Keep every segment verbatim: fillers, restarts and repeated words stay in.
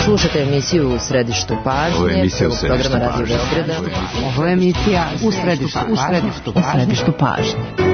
Slušate emisiju U središtu pažnje. Ovo je emisija U središtu pažnje. Ovo je emisija U središtu pažnje. U središtu pažnje.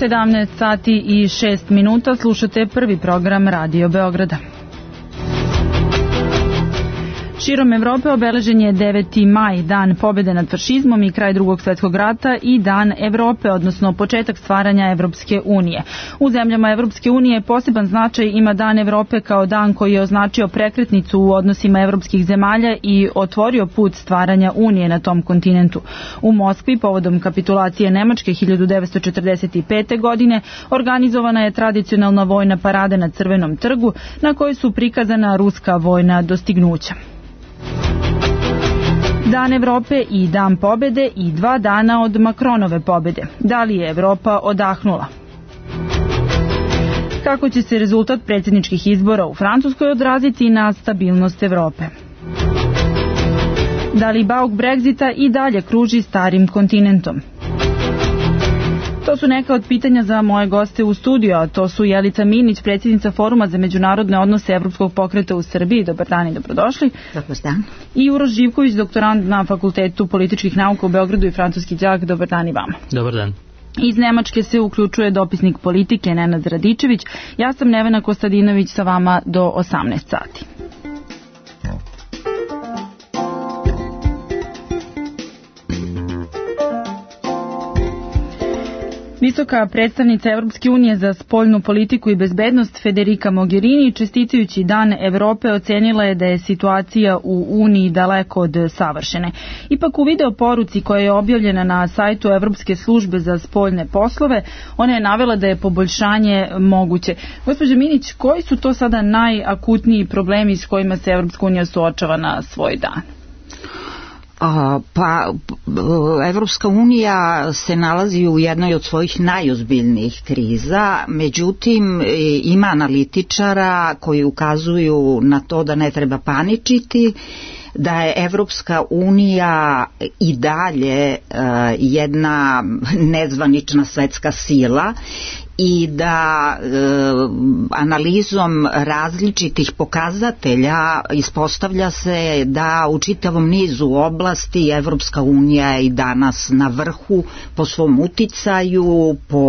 sedamnaest sati i šest minuta, slušate prvi program Radio Beograda. Širom Evrope obeležen je deveti maj, dan pobjede nad fašizmom i kraj Drugog svjetskog rata i dan Evrope, odnosno početak stvaranja Evropske unije. U zemljama Evropske unije poseban značaj ima dan Evrope kao dan koji je označio prekretnicu u odnosima evropskih zemalja i otvorio put stvaranja Unije na tom kontinentu. U Moskvi, povodom kapitulacije Nemačke hiljadu devetsto četrdeset pete. godine, organizovana je tradicionalna vojna parada na Crvenom trgu, na kojoj su prikazana ruska vojna dostignuća. Dan Evrope i dan pobjede i dva dana od Macronove pobjede. Da li je Evropa odahnula? Kako će se rezultat predsjedničkih izbora u Francuskoj odraziti na stabilnost Evrope? Da li bauk Brexita i dalje kruži starim kontinentom? To su neka od pitanja za moje goste u studiju, a to su Jelica Minić, predsjednica Foruma za međunarodne odnose Evropskog pokreta u Srbiji. Dobar dan i dobrodošli. Dobar dan. I Uroš Živković, doktorant na Fakultetu političkih nauka u Beogradu i francuski đak. Dobar dan i vama. Dobar dan. Iz Nemačke se uključuje dopisnik politike Nenad Radičević. Ja sam Nevena Kostadinović, sa vama do osamnaest sati. Visoka predstavnica Evropske unije za spoljnu politiku i bezbednost Federica Mogherini, čestitajući Dan Evrope, ocenila je da je situacija u Uniji daleko od savršene. Ipak u video poruci koja je objavljena na sajtu Evropske službe za spoljne poslove, ona je navela da je poboljšanje moguće. Gospođo Minić, koji su to sada najakutniji problemi s kojima se Evropska unija suočava na svoj dan? A, pa, Evropska unija se nalazi u jednoj od svojih najozbiljnijih kriza, međutim ima analitičara koji ukazuju na to da ne treba paničiti, da je Evropska unija i dalje uh, jedna nezvanična svetska sila i da e, analizom različitih pokazatelja ispostavlja se da u čitavom nizu oblasti Evropska unija je i danas na vrhu po svom uticaju, po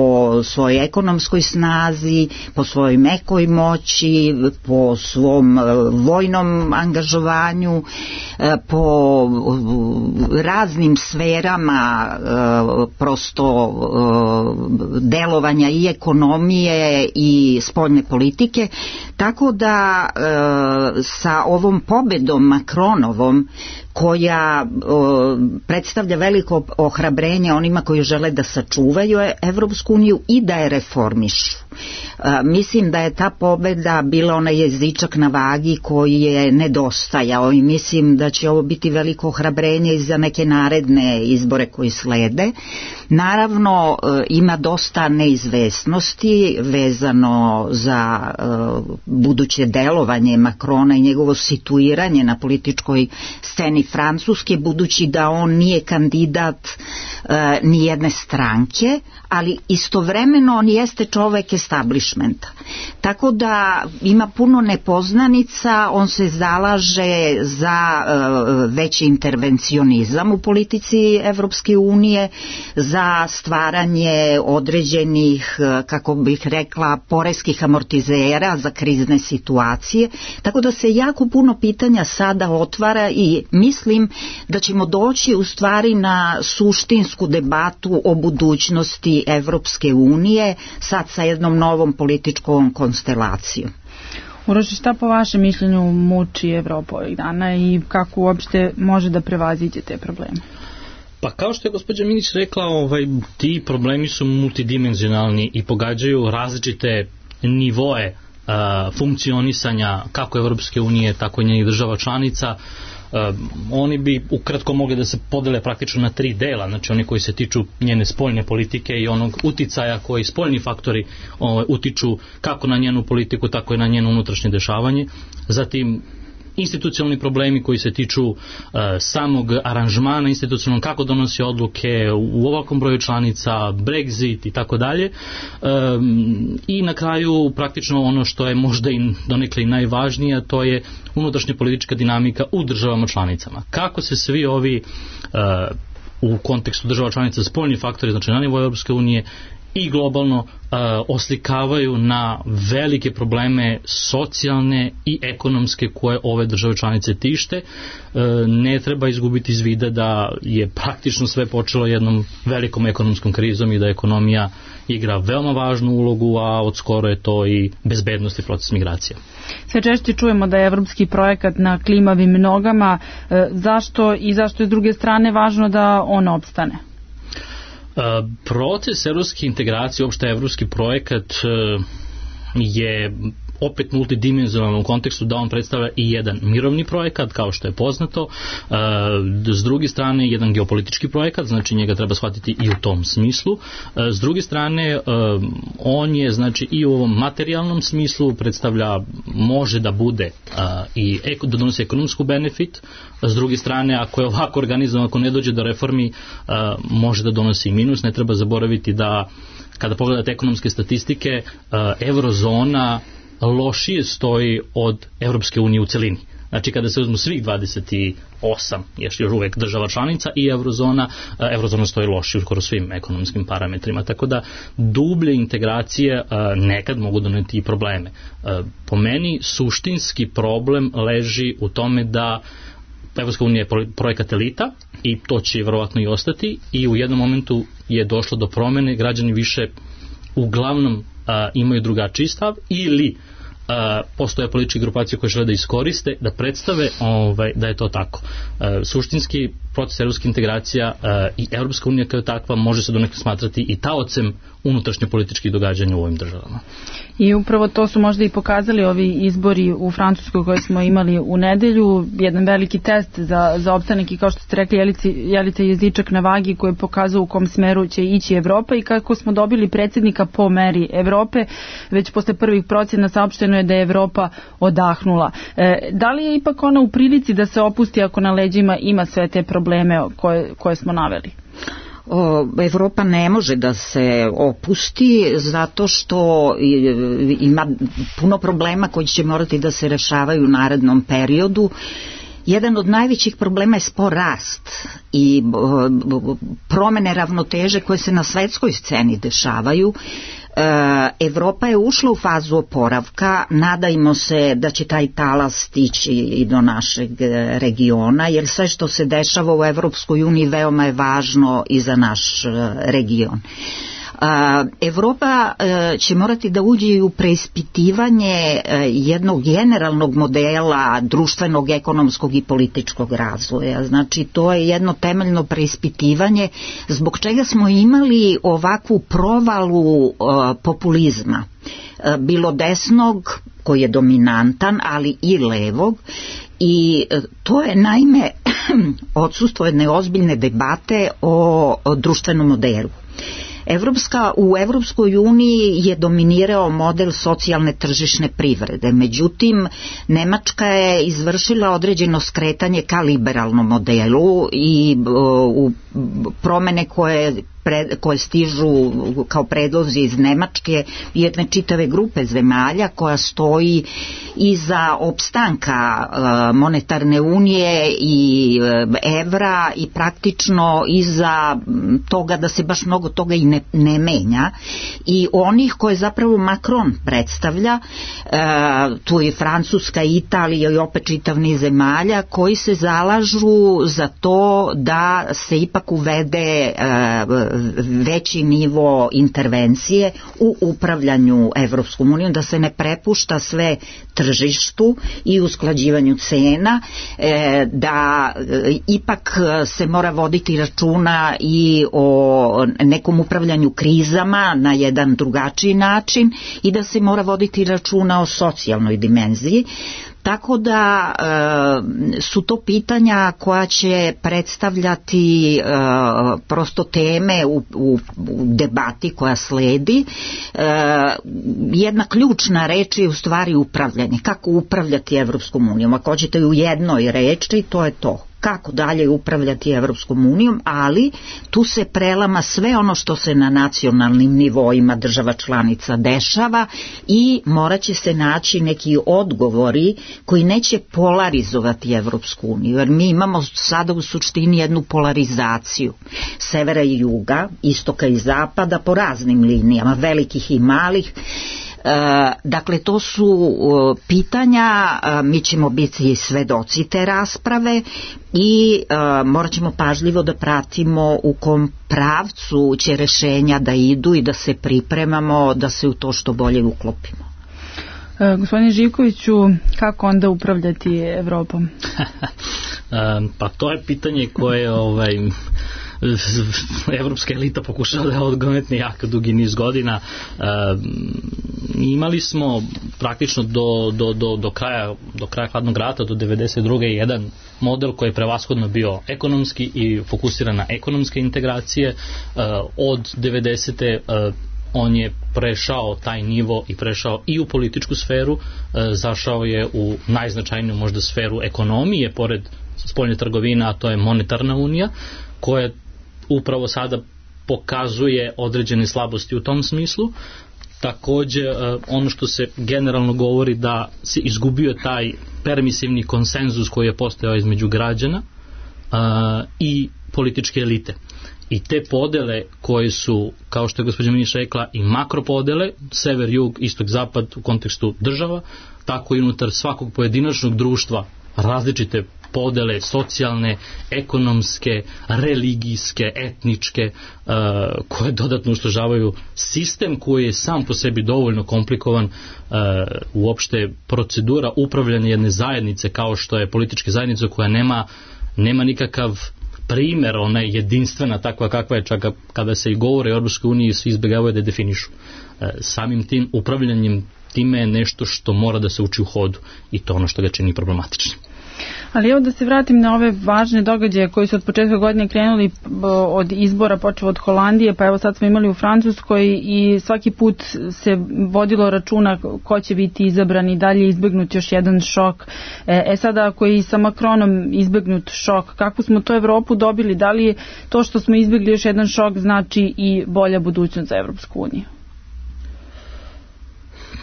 svojoj ekonomskoj snazi, po svojoj mekoj moći, po svom vojnom angažovanju, po raznim sferama prosto delovanja i ekonomije i spoljne politike, tako da e, sa ovom pobedom Macronovom, koja o, predstavlja veliko ohrabrenje onima koji žele da sačuvaju Evropsku uniju i da je reformišu. E, mislim da je ta pobeda bila onaj jezičak na vagi koji je nedostajao i mislim da će ovo biti veliko ohrabrenje i za neke naredne izbore koji slede. Naravno, e, ima dosta neizvesnosti vezano za e, buduće delovanje Macrona i njegovo situiranje na političkoj sceni Francuske, budući da on nije kandidat e, ni jedne stranke, ali istovremeno on jeste čovek establishmenta. establishmenta. Tako da ima puno nepoznanica, on se zalaže za uh, veći intervencionizam u politici Evropske unije, za stvaranje određenih, kako bih rekla, poreskih amortizera za krizne situacije, tako da se jako puno pitanja sada otvara i mislim da ćemo doći u stvari na suštinsku debatu o budućnosti Evropske unije, sad sa jednom novom političkom konstelacijom. Uroš, šta po vašem mišljenju muči Evropu ovih dana i kako uopšte može da prevaziđe te probleme? Pa kao što je gospođa Minić rekla, ovaj, ti problemi su multidimenzionalni i pogađaju različite nivoe a, funkcionisanja kako Evropske unije, tako i njenih država članica. Uh, oni bi ukratko mogli da se podele praktično na tri dela, znači oni koji se tiču njene spoljne politike i onog uticaja koji spoljni faktori ovaj, utiču kako na njenu politiku, tako i na njeno unutrašnje dešavanje. Zatim institucionalni problemi koji se tiču uh, samog aranžmana institucionalnog, kako donosi odluke u ovakvom broju članica, Brexit i tako dalje. Um, I na kraju praktično ono što je možda i donekle i najvažnije, to je unutrašnja politička dinamika u državama članicama. Kako se svi ovi uh, u kontekstu država članica spoljni faktori, znači na nivou Europske unije i globalno uh, oslikavaju na velike probleme socijalne i ekonomske koje ove države članice tište. Uh, ne treba izgubiti iz vida da je praktično sve počelo jednom velikom ekonomskom krizom i da ekonomija igra veoma važnu ulogu, a od skoro je to i bezbednost i proces migracija. Sve češće čujemo da je evropski projekat na klimavim nogama. Uh, zašto i zašto je s druge strane važno da on opstane? Proces evropske integracije, uopšte evropski projekat je opet multidimenzionalan u kontekstu da on predstavlja i jedan mirovni projekat, kao što je poznato, s druge strane jedan geopolitički projekat, znači njega treba shvatiti i u tom smislu, s druge strane on je znači i u ovom materijalnom smislu predstavlja, može da bude i da donosi ekonomsku benefit, s druge strane ako je ovako organizovan, ako ne dođe do reformi, može da donosi minus. Ne treba zaboraviti da kada pogledate ekonomske statistike, eurozona lošije stoji od Evropske unije u celini. Znači kada se uzmu svih dvadeset osam još uvek država članica i eurozona, eurozona stoji lošije skoro svim ekonomskim parametrima. Tako da dublje integracije nekad mogu doneti i probleme. Po meni suštinski problem leži u tome da Evropska unija je projekat elita i to će verovatno i ostati i u jednom momentu je došlo do promene, građani više uglavnom a, imaju drugačiji stav ili a, postoje političke grupacije koje žele da iskoriste, da predstave ovaj, da je to tako. A, suštinski proces evropske integracija a, i Evropska unija kao takva može se donekle smatrati i taocem unutrašnje političkih događanja u ovim državama. I upravo to su možda i pokazali ovi izbori u Francuskoj koje smo imali u nedelju, jedan veliki test za, za opstanak i kao što ste rekli Jelici, Jelica jezičak na vagi koji je pokazao u kom smeru će ići Evropa i kako smo dobili predsjednika po meri Evrope, već posle prvih procjena saopšteno je da je Evropa odahnula. E, da li je ipak ona u prilici da se opusti ako na leđima ima sve te probleme koje, koje smo naveli? O, Evropa ne može da se opusti zato što ima puno problema koji će morati da se rešavaju u narednom periodu. Jedan od najvećih problema je spor rast i promene ravnoteže koje se na svetskoj sceni dešavaju. Evropa je ušla u fazu oporavka, nadajmo se da će taj talas stići i do našeg regiona, jer sve što se dešava u Evropskoj uniji veoma je važno i za naš region. Evropa će morati da uđe u preispitivanje jednog generalnog modela društvenog, ekonomskog i političkog razvoja. Znači to je jedno temeljno preispitivanje zbog čega smo imali ovakvu provalu populizma, bilo desnog koji je dominantan, ali i levog, i to je naime odsustvo jedne ozbiljne debate o, o društvenom modelu. Evropska, u Evropskoj uniji je dominirao model socijalne tržišne privrede, međutim Nemačka je izvršila određeno skretanje ka liberalnom modelu i u promene koje pred, koje stižu kao predlozi iz Nemačke, jedne čitave grupe zemalja koja stoji iza opstanka monetarne unije i evra i praktično iza toga da se baš mnogo toga i ne, ne menja, i onih koje zapravo Macron predstavlja, tu je Francuska, Italija i opet čitav niz zemalja koji se zalažu za to da se ipak uvede veći nivo intervencije u upravljanju Evropskom unijom, da se ne prepušta sve tržištu i usklađivanju cena, da ipak se mora voditi računa i o nekom upravljanju krizama na jedan drugačiji način i da se mora voditi računa o socijalnoj dimenziji. Tako da e, su to pitanja koja će predstavljati e, prosto teme u, u, u debati koja sledi. E, jedna ključna reč je u stvari upravljanje. Kako upravljati Evropskom unijom? Ako hoćete u jednoj reči, to je to. Kako dalje upravljati Evropskom unijom, ali tu se prelama sve ono što se na nacionalnim nivoima država članica dešava i morat će se naći neki odgovori koji neće polarizovati Evropsku uniju, jer mi imamo sada u suštini jednu polarizaciju severa i juga, istoka i zapada po raznim linijama, velikih i malih. Dakle, to su pitanja, mi ćemo biti svedoci te rasprave i morat ćemo pažljivo da pratimo u kom pravcu će rešenja da idu i da se pripremamo da se u to što bolje uklopimo. Gospodine Živkoviću, kako onda upravljati Evropom? Pa to je pitanje koje ovaj, evropska elita pokušala da je odgonetne jako dugi niz godina. E, imali smo praktično do, do, do, do, kraja, do kraja hladnog rata, do devedeset druge jedan model koji je prevashodno bio ekonomski i fokusiran na ekonomske integracije. E, od devedesete E, on je prešao taj nivo i prešao i u političku sferu, e, zašao je u najznačajniju možda sferu ekonomije, pored spoljne trgovine, a to je monetarna unija, koja upravo sada pokazuje određene slabosti u tom smislu. Takođe, ono što se generalno govori da se izgubio taj permisivni konsenzus koji je postojao između građana i političke elite. I te podele koje su, kao što je gospođa Minić rekla, i makropodele, sever, jug, istok, zapad u kontekstu država, tako i unutar svakog pojedinačnog društva različite podele socijalne, ekonomske, religijske, etničke, uh, koje dodatno usložavaju sistem koji je sam po sebi dovoljno komplikovan. Uh, uopšte procedura upravljanja jedne zajednice kao što je politička zajednica koja nema, nema nikakav primer, ona je jedinstvena takva kakva je, čak kada se i govore o Europskoj uniji svi izbjegavaju da je definišu. Uh, samim tim upravljanjem time je nešto što mora da se uči u hodu i to ono što ga čini problematičnim. Ali evo da se vratim na ove važne događaje koji su od početka godine krenuli od izbora, počeo od Holandije, pa evo sad smo imali u Francuskoj i svaki put se vodilo računa ko će biti izabran i dalje izbegnut još jedan šok. E sada ako je i sa Macronom izbegnut šok, kakvu smo to Evropu dobili? Da li to što smo izbegli još jedan šok znači i bolja budućnost za Evropsku uniju?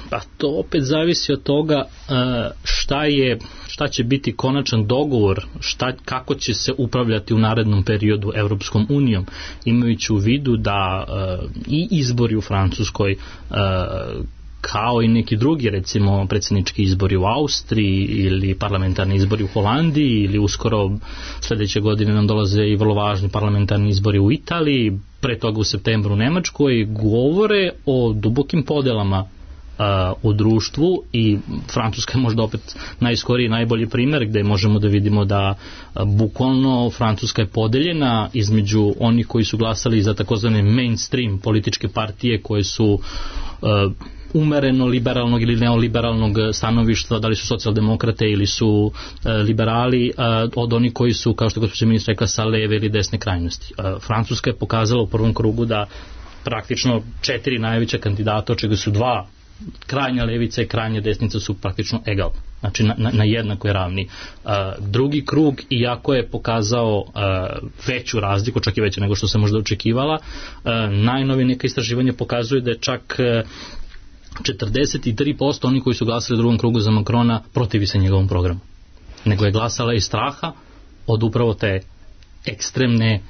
Pa to opet zavisi od toga šta je, šta će biti konačan dogovor, šta, kako će se upravljati u narednom periodu Evropskom unijom, imajući u vidu da i izbori u Francuskoj kao i neki drugi, recimo predsjednički izbori u Austriji ili parlamentarni izbori u Holandiji ili uskoro sljedeće godine nam dolaze i vrlo važni parlamentarni izbori u Italiji, pre toga u septembru u Nemačkoj, govore o dubokim podelama u društvu i Francuska je možda opet najskoriji, najbolji primjer gdje možemo da vidimo da bukvalno Francuska je podeljena između onih koji su glasali za takozvane mainstream političke partije koje su uh, umereno liberalnog ili neoliberalnog stanovišta, da li su socijaldemokrate ili su uh, liberali, uh, od onih koji su, kao što je gospođa ministra rekla, sa leve ili desne krajnosti. Uh, Francuska je pokazala u prvom krugu da praktično četiri najveća kandidata, od čega su dva krajnja levica i krajnja desnica su praktično egal. znači na, na, na jednakoj ravni. Uh, drugi krug, iako je pokazao uh, veću razliku, čak i veće nego što se možda očekivala, uh, najnovije neka istraživanje pokazuje da je čak uh, četrdeset tri posto oni koji su glasali u drugom krugu za Macrona protivi se njegovom programu. Nego je glasala iz straha od upravo te ekstremne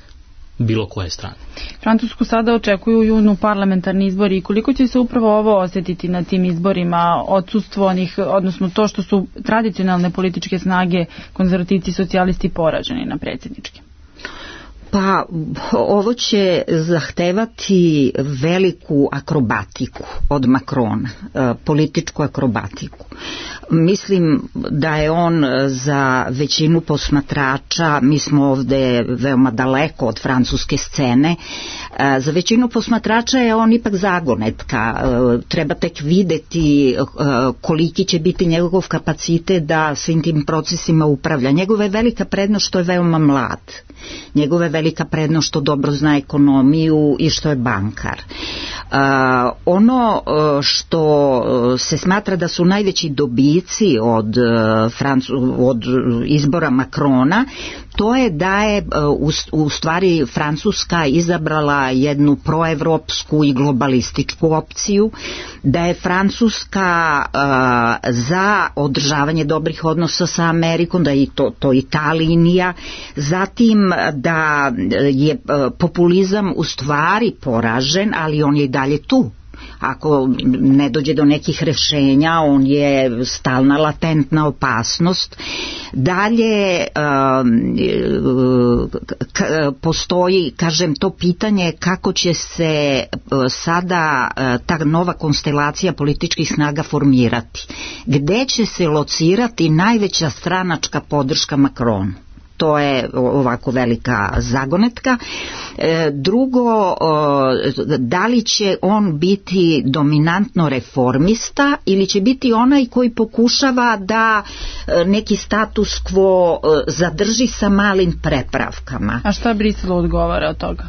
bilo koje strane. Francusku sada očekuju u junu parlamentarni izbori i koliko će se upravo ovo osjetiti na tim izborima, odsustvo onih, odnosno to što su tradicionalne političke snage, konzervativci i socijalisti poraženi na predsjedničke? Pa ovo će zahtevati veliku akrobatiku od Macrona, političku akrobatiku. Mislim da je on za većinu posmatrača, mi smo ovde veoma daleko od francuske scene, za većinu posmatrača je on ipak zagonetka. Treba tek videti koliki će biti njegov kapacitet da svim tim procesima upravlja. Njegova je velika prednost što je veoma mlad. Njegova je velika prednost što dobro zna ekonomiju i što je bankar. Uh, ono što se smatra da su najveći dobici od, Francu, od izbora Macrona, to je da je u, u stvari Francuska izabrala jednu proevropsku i globalističku opciju, da je Francuska uh, za održavanje dobrih odnosa sa Amerikom, da je to, to i ta linija, zatim da je populizam u stvari poražen, ali on je i dalje tu. Ako ne dođe do nekih rešenja, on je stalna latentna opasnost. Dalje postoji, kažem, to pitanje kako će se sada ta nova konstelacija političkih snaga formirati. Gde će se locirati najveća stranačka podrška Macronu? To je ovako velika zagonetka. Drugo, da li će on biti dominantno reformista ili će biti onaj koji pokušava da neki status quo zadrži sa malim prepravkama. A šta Briselu odgovara od toga?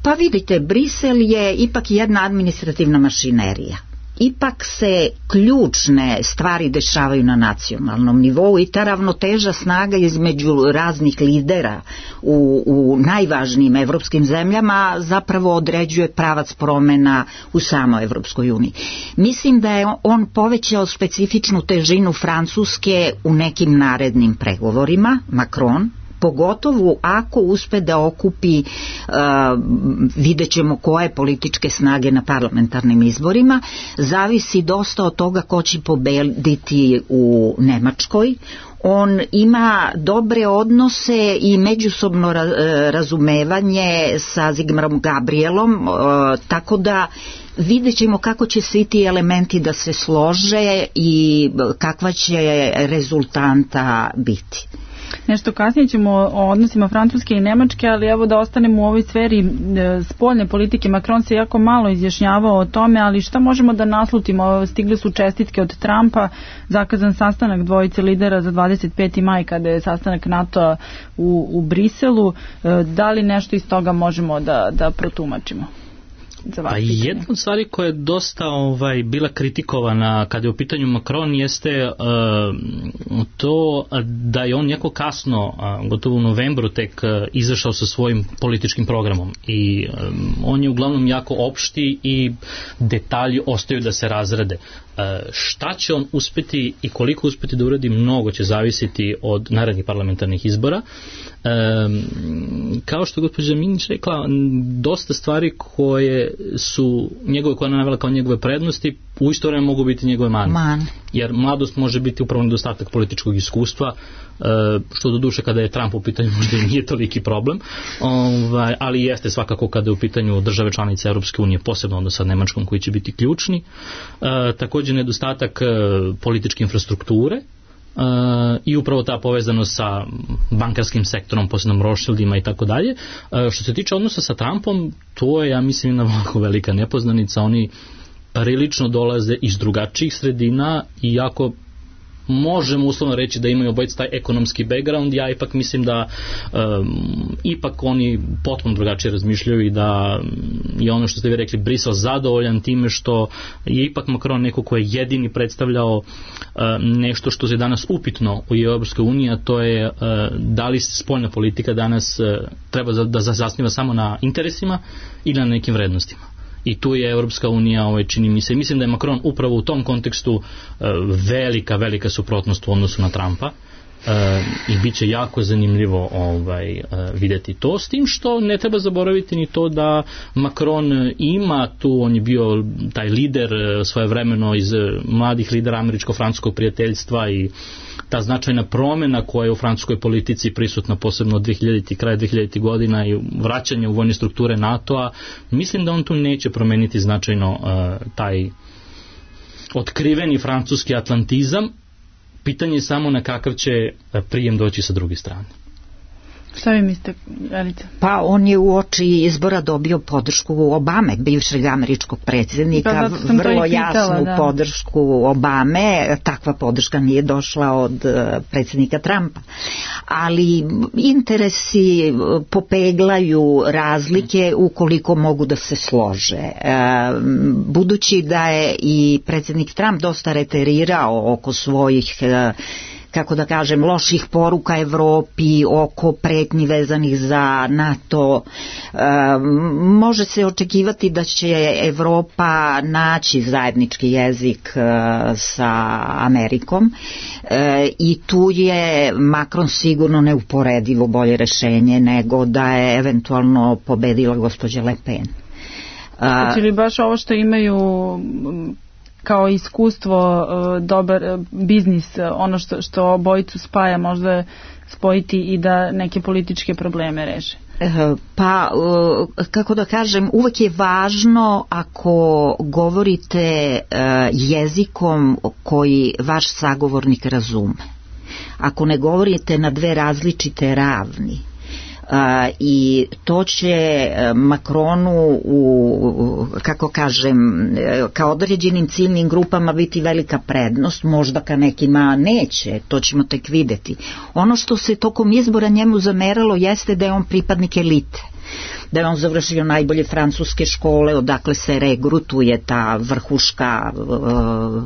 Pa vidite, Brisel je ipak jedna administrativna mašinerija. Ipak se ključne stvari dešavaju na nacionalnom nivou i ta ravnoteža snaga između raznih lidera u, u najvažnijim evropskim zemljama zapravo određuje pravac promena u samoj Evropskoj uniji. Mislim da je on povećao specifičnu težinu Francuske u nekim narednim pregovorima, Macron, pogotovo ako uspe da okupi, uh, vidjet ćemo koje političke snage na parlamentarnim izborima, zavisi dosta od toga ko će pobediti u Nemačkoj. On ima dobre odnose i međusobno razumevanje sa Sigmarom Gabrielom, uh, tako da vidjet ćemo kako će svi ti elementi da se slože i kakva će rezultanta biti. Nešto kasnije ćemo o odnosima Francuske i Nemačke, ali evo da ostanemo u ovoj sferi spoljne politike. Macron se jako malo izjašnjavao o tome, ali šta možemo da naslutimo? Stigle su čestitke od Trumpa, zakazan sastanak dvojice lidera za dvadeset peti maj kada je sastanak NATO u, u Briselu. Da li nešto iz toga možemo da, da protumačimo? Pa jedna od stvari koja je dosta ovaj, bila kritikovana kada je u pitanju Macron jeste uh, to da je on jako kasno, uh, gotovo u novembru tek uh, izašao sa svojim političkim programom i um, on je uglavnom jako opšti i detalji ostaju da se razrade. Uh, šta će on uspeti i koliko uspeti da uradi, mnogo će zavisiti od narednih parlamentarnih izbora. Um, kao što je gospođa Minić rekla, dosta stvari koje su njegove, koje je navela kao njegove prednosti, u isto vreme mogu biti njegove mane. Man. Jer mladost može biti upravo nedostatak političkog iskustva, što do duše kada je Trump u pitanju možda i nije toliki problem, ovaj, ali jeste svakako kada je u pitanju države članice Europske unije, posebno onda sa Nemačkom koji će biti ključni. Također nedostatak političke infrastrukture, Uh, i upravo ta povezanost sa bankarskim sektorom, posebno Rothschildima i tako dalje. Što se tiče odnosa sa Trumpom, to je, ja mislim, jedna vrlo velika nepoznanica. Oni prilično dolaze iz drugačijih sredina i jako možemo uslovno reći da imaju obojica taj ekonomski background, ja ipak mislim da um, ipak oni potpuno drugačije razmišljaju i da je ono što ste vi rekli, Brisel zadovoljan time što je ipak Macron neko ko je jedini predstavljao uh, nešto što je danas upitno u Europskoj uniji, a to je uh, da li spoljna politika danas uh, treba za, da zasniva samo na interesima ili na nekim vrednostima. I tu je Europska unija, ovaj, čini mi se, mislim da je Macron upravo u tom kontekstu uh, velika, velika suprotnost u odnosu na Trumpa. Uh, i bit će jako zanimljivo ovaj, uh, vidjeti to, s tim što ne treba zaboraviti ni to da Macron ima tu, on je bio taj lider uh, svojevremeno iz uh, mladih lidera američko-francuskog prijateljstva i ta značajna promjena koja je u francuskoj politici prisutna posebno od dvehiljaditih kraja dvehiljaditih godina i vraćanje u vojne strukture NATO-a, mislim da on tu neće promeniti značajno uh, taj otkriveni francuski atlantizam. Pitanje je samo na kakav će prijem doći sa druge strane. Šta vi mislite, Jelica? Pa on je u oči izbora dobio podršku Obame, bivšeg američkog predsjednika, pa, vrlo jasnu da. podršku Obame, takva podrška nije došla od predsjednika Trumpa. Ali interesi popeglaju razlike ukoliko mogu da se slože. Budući da je i predsjednik Trump dosta reterirao oko svojih, kako da kažem, loših poruka Evropi, oko pretnji vezanih za NATO, e, može se očekivati da će Evropa naći zajednički jezik e, sa Amerikom e, i tu je Macron sigurno neuporedivo bolje rešenje nego da je eventualno pobedila gospođa Le Pen. Znači li baš ovo što imaju kao iskustvo, dobar biznis, ono što, što obojicu spaja, možda spojiti i da neke političke probleme reše? Pa, kako da kažem, uvek je važno ako govorite jezikom koji vaš sagovornik razume. Ako ne govorite na dve različite ravni, Uh, i to će Macronu u, kako kažem, kao određenim ciljnim grupama biti velika prednost, možda ka nekima neće, to ćemo tek videti. Ono što se tokom izbora njemu zameralo jeste da je on pripadnik elite, da je on završio najbolje francuske škole, odakle se regrutuje ta vrhuška uh,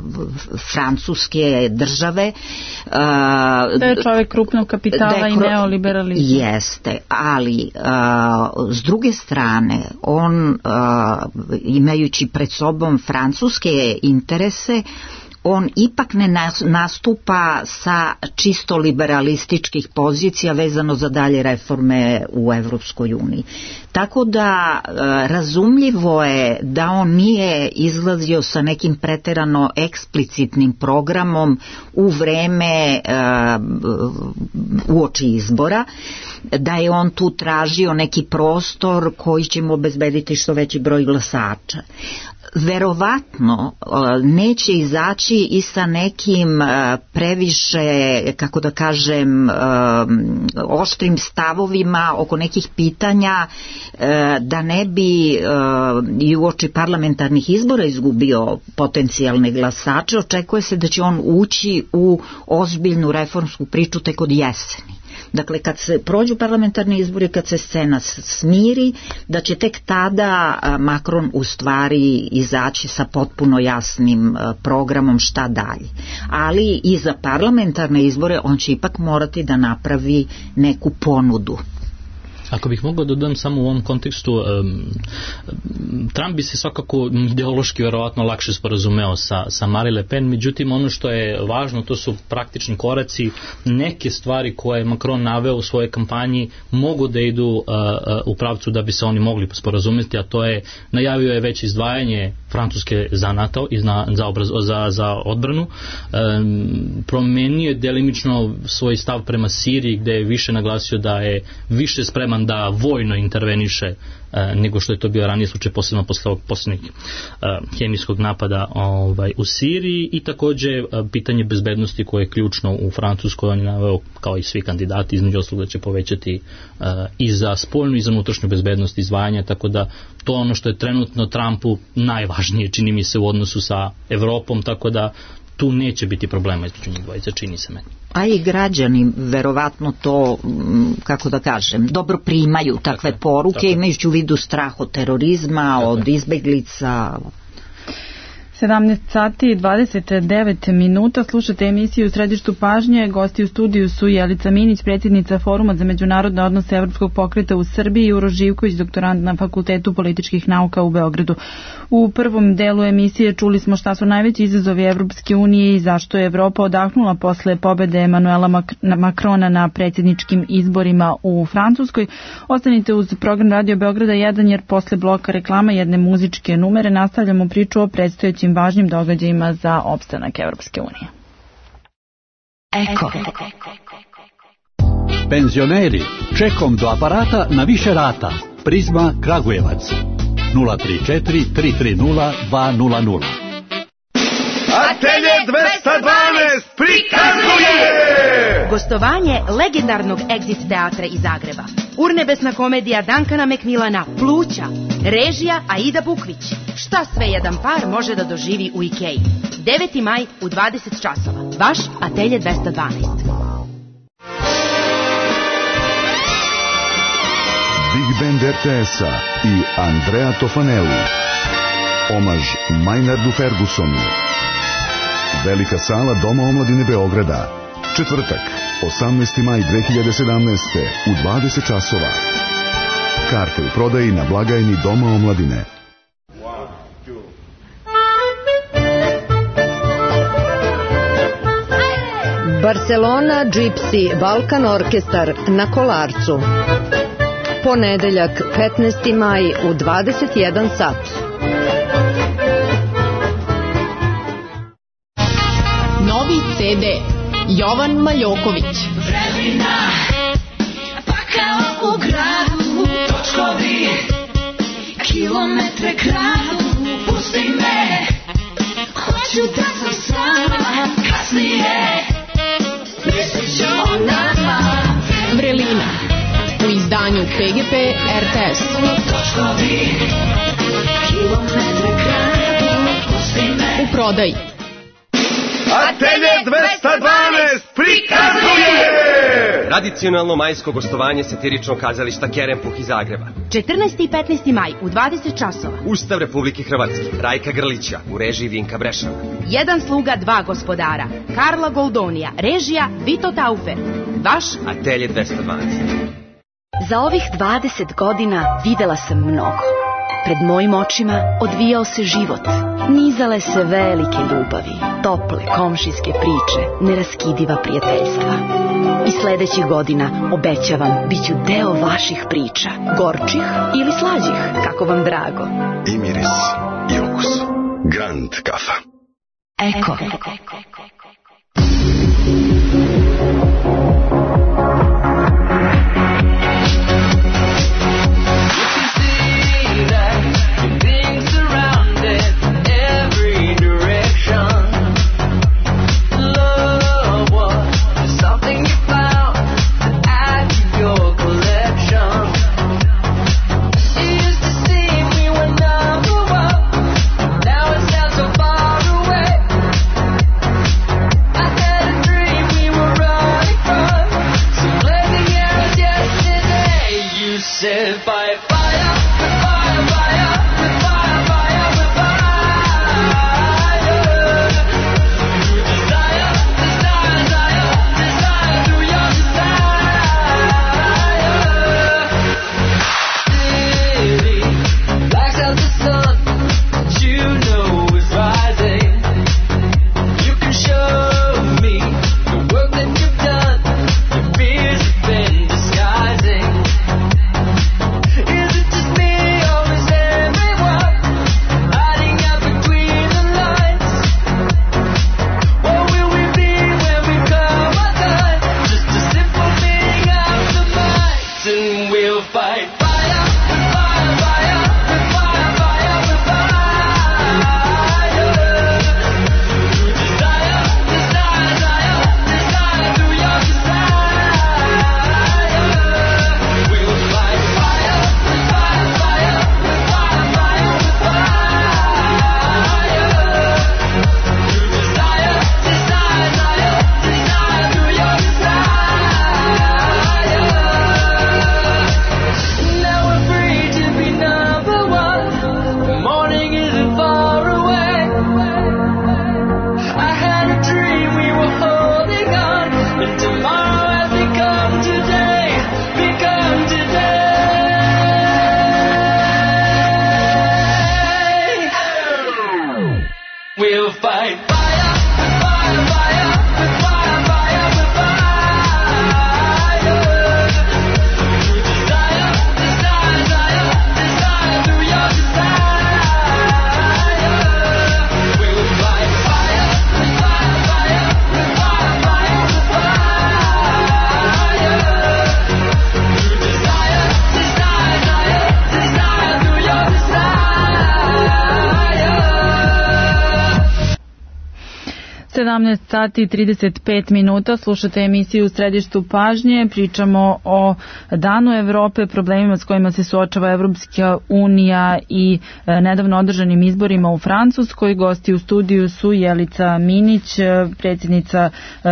francuske države. Uh, da je čovjek krupnog kapitala i neoliberalizma. Jeste, ali uh, s druge strane, on uh, imajući pred sobom francuske interese, on ipak ne nastupa sa čisto liberalističkih pozicija vezano za dalje reforme u Evropskoj uniji. Tako da razumljivo je da on nije izlazio sa nekim preterano eksplicitnim programom u vreme uoči izbora, da je on tu tražio neki prostor koji će mu obezbediti što veći broj glasača. Verovatno neće izaći i sa nekim previše, kako da kažem, oštrim stavovima oko nekih pitanja, da ne bi i uoči parlamentarnih izbora izgubio potencijalne glasače. Očekuje se da će on ući u ozbiljnu reformsku priču tek od jeseni. Dakle, kad se prođu parlamentarni izbori, kad se scena smiri, da će tek tada Macron u stvari izaći sa potpuno jasnim programom šta dalje. Ali i za parlamentarne izbore on će ipak morati da napravi neku ponudu. Ako bih mogao dodam samo u ovom kontekstu, um, Trump bi se svakako ideološki verovatno lakše sporazumeo sa, sa Marine Le Pen, međutim ono što je važno, to su praktični koraci, neke stvari koje je Macron naveo u svojoj kampanji mogu da idu uh, uh, u pravcu da bi se oni mogli sporazumeti, a to je, najavio je već izdvajanje Francuske za NATO i za, za, obraz, za, za odbranu, um, promenio je delimično svoj stav prema Siriji, gde je više naglasio da je više spreman da vojno interveniše e, nego što je to bio ranije slučaj, posebno posle ovog posljednjeg e, hemijskog napada ovaj, u Siriji, i takođe e, pitanje bezbednosti koje je ključno u Francuskoj. On je naveo, kao i svi kandidati, između ostalog da će povećati e, i za spoljnu i za unutrašnju bezbednost izdvajanja, tako da to ono što je trenutno Trumpu najvažnije, čini mi se, u odnosu sa Evropom, tako da tu neće biti problema između njih dvojice, čini se meni. A i građani verovatno to, kako da kažem, dobro primaju takve tako, poruke, tako. Imajući u vidu strah od terorizma, tako. Od izbeglica. sedamnaest sati i dvadeset devet minuta, slušate emisiju u Središtu pažnje. Gosti u studiju su Jelica Minić, predsjednica Foruma za međunarodne odnose Evropskog pokreta u Srbiji, i Uroš Živković, doktorant na Fakultetu političkih nauka u Beogradu. U prvom delu emisije čuli smo šta su najveći izazovi Evropske unije i zašto je Evropa odahnula posle pobede Emanuela Makrona na predsjedničkim izborima u Francuskoj. Ostanite uz program Radio Beograda jedan, jer posle bloka reklama jedne muzičke numere nastavljamo priču o predstojećim važnim događajima za opstanak Evropske unije. Eko. Penzioneri, čekom do aparata na više rata. Prizma Kragujevac. nula tri četiri tri tri nula dva nula nula. Atelje dvesta dvanaest prikazuje gostovanje legendarnog Exit teatra iz Zagreba. Urnebesna komedija Dankana Mekmilana Pluća. Režija Aida Bukvić. Šta sve jedan par može da doživi u Ikeji. deveti maj u dvadeset časova. Vaš Atelje dvesta dvanaest. Big Band R T S-a i Andrea Tofanelli. Omaž Maynardu Fergusonu. Velika sala Doma omladine Beograda. Četvrtak, osamnaesti maj dve hiljade sedamnaeste. u dvadeset časova. Karte u prodaji na blagajni Doma omladine. Barcelona Gypsy Balkan Orkestar na Kolarcu. Ponedeljak, petnaesti maj u dvadeset jedan sat. Novi C D Jovan Maljoković. Vremena, pa kao u gradu, točkovi, kilometre kradu, pusti me, hoću da sam sama, kasnije, mislit ću o nama. Vrelina, u izdanju P G P R T S. Točkovi, kilometre kradu, pusti me. U prodaji. Atelje dvesta dvanaest prikazuje tradicionalno majsko gostovanje satiričnog kazališta Kerempuh iz Zagreba. četrnaesti i petnaesti maj u dvadeset časova. Ustav Republike Hrvatske, Rajka Grlića, u režiji Vinka Brešana. Jedan sluga, dva gospodara. Karla Goldonija, režija Vito Taufer. Vaš Atelje dvesta dvanaest. Za ovih dvadeset godina videla sam mnogo. Pred mojim očima odvijao se život. Nizale se velike ljubavi, tople komšijske priče, neraskidiva prijateljstva. I sledećih godina, obećavam, bit ću deo vaših priča, gorčih ili slađih, kako vam drago. I miris, i okus. Grand kafa. Eko. sedamnaest sati i trideset pet minuta, slušate emisiju U središtu pažnje, pričamo o Danu Evrope, problemima s kojima se suočava Evropska unija i e, nedavno održanim izborima u Francuskoj. Gosti u studiju su Jelica Minić, predsjednica e,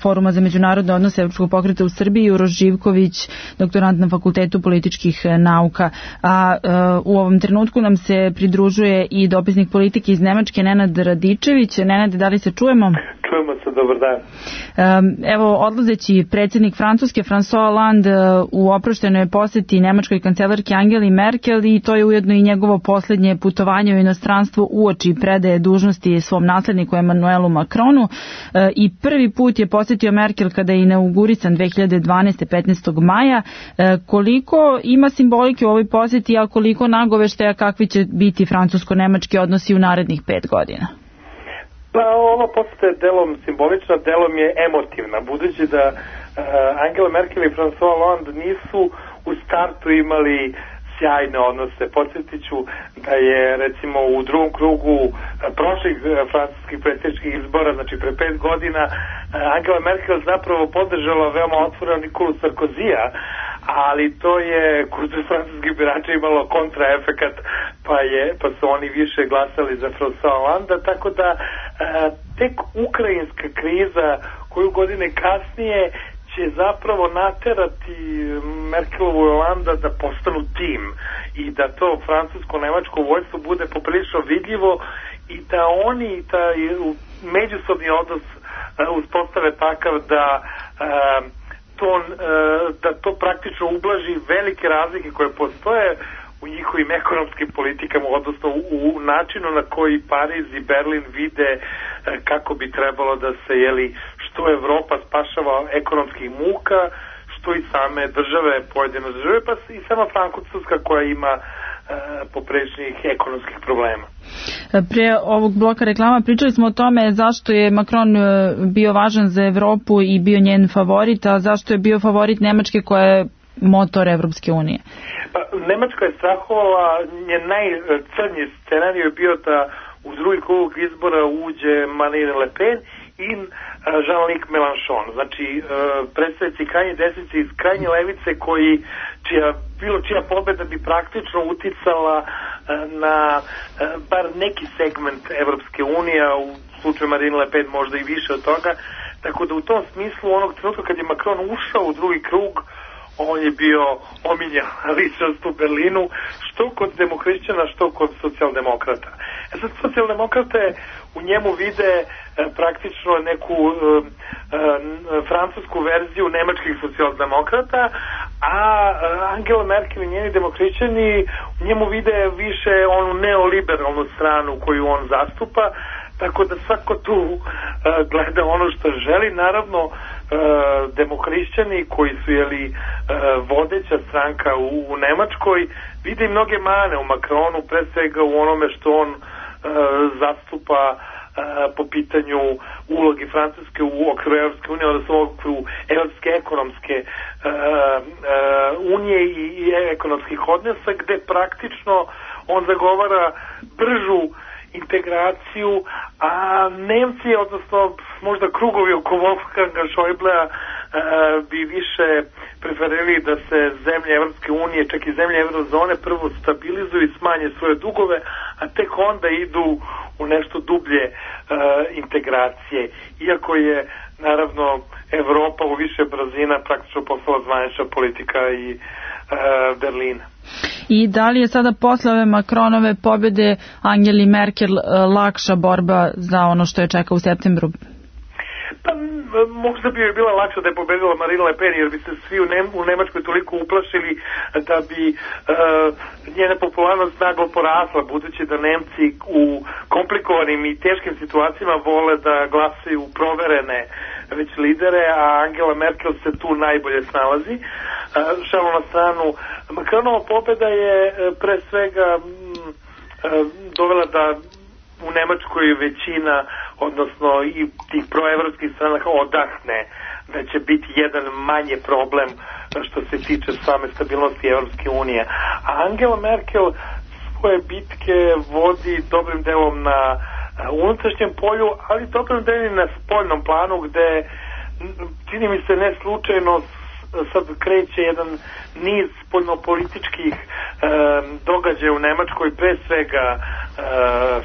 Foruma za međunarodne odnose Evropskog pokreta u Srbiji, Uroš Živković, doktorant na Fakultetu političkih nauka. A e, u ovom trenutku nam se pridružuje i dopisnik politike iz Nemačke, Nenad Radičević. Nenade, da li se čujemo? Čujemo se, dobar dan. Evo, odlazeći predsjednik Francuske François Hollande u oproštenoj posjeti nemačkoj kancelarki Angeli Merkel, i to je ujedno i njegovo posljednje putovanje u inostranstvo uoči predaje dužnosti svom nasledniku Emmanuelu Macronu, i prvi put je posjetio Merkel kada je inaugurisan dve hiljade dvanaeste. petnaestog maja. Koliko ima simbolike u ovoj posjeti, a koliko nagoveštaja kakvi će biti francusko-nemački odnosi u narednih pet godina? Pa ova posjeta je delom simbolična, delom je emotivna, budući da uh, Angela Merkel i François Hollande nisu u startu imali sjajne odnose. Podsjetit ću da je recimo u drugom krugu uh, prošlih uh, francuskih predsjedničkih izbora, znači pre pet godina, uh, Angela Merkel zapravo podržala veoma otvoreno Nikolu Sarkozija, ali to je kod francuskih birača imalo kontraefekat, pa je pa su oni više glasali za François Hollande, tako da e, tek ukrajinska kriza koju godine kasnije će zapravo naterati Merkelovu i Hollanda da postanu tim i da to francusko-nemačko vojstvo bude poprilično vidljivo i da oni ta međusobni odnos e, uspostave takav da e, To, da to praktično ublaži velike razlike koje postoje u njihovim ekonomskim politikama, odnosno u, u načinu na koji Pariz i Berlin vide kako bi trebalo da se, jeli, što Evropa spašava ekonomskih muka, što i same države, pojedine države, pa i sama Francuska koja ima poprečnih ekonomskih problema. Pre ovog bloka reklama pričali smo o tome zašto je Macron bio važan za Evropu i bio njen favorit, a zašto je bio favorit Nemačke koja je motor Evropske unije. Pa, Nemačka je strahovala, njen najcrnji scenarij je bio da u drugi krug izbora uđe Marine Le Pen i Jean-Luc Mélenchon, znači predstavnici krajnje desnice iz krajnje levice koji čija, bilo čija pobeda bi praktično uticala na bar neki segment Evropske unije, a u slučaju Marine Le Pen možda i više od toga, tako da u tom smislu onog trenutka kad je Macron ušao u drugi krug, on je bio omiljen ličnost u Berlinu, što kod demohrišćana, što kod socijaldemokrata. E sad, socijaldemokrate u njemu vide e, praktično neku e, e, francusku verziju nemačkih socijaldemokrata, a Angela Merkel i njeni demohrišćani u njemu vide više onu neoliberalnu stranu koju on zastupa, tako da svako tu e, gleda ono što želi. Naravno, e, demohrišćani koji su, jeli, e, vodeća stranka u, u Nemačkoj, vide i mnoge mane u Macronu, pre svega u onome što on e, zastupa e, po pitanju ulogi Francuske u okviru Evropske unije, odnosno u okviru Evropske ekonomske e, e, unije i, i ekonomskih odnosa, gde praktično on zagovara bržu integraciju, a Nemci, odnosno možda krugovi oko Wolfganga Schäublea, e, bi više preferili da se zemlje Evropske unije, čak i zemlje Eurozone, prvo stabilizuju i smanje svoje dugove, a tek onda idu u nešto dublje e, integracije. Iako je, naravno, Evropa u više brzina praktično postala zvanična politika i e, Berlina. I da li je sada posle ove Macronove pobjede Angeli Merkel lakša borba za ono što je čeka u septembru? Pa možda bi joj bila lakša da je pobedila Marine Le Pen, jer bi se svi u, Nem, u Nemačkoj toliko uplašili da bi uh, njena popularnost naglo porasla, budući da Nemci u komplikovanim i teškim situacijama vole da glasaju proverene već lidere, a Angela Merkel se tu najbolje snalazi. Uh, šalu na stranu, Macronova pobeda je uh, pre svega um, uh, dovela da u Nemačkoj većina, odnosno i tih proevropskih stranaka odahne da će biti jedan manje problem što se tiče same stabilnosti Evropske unije. A Angela Merkel svoje bitke vodi dobrim delom na u unutrašnjem polju, ali dobro da je na spoljnom planu gde čini mi se ne slučajno sad kreće jedan niz spoljnopolitičkih e, događaja u Nemačkoj, pre svega e,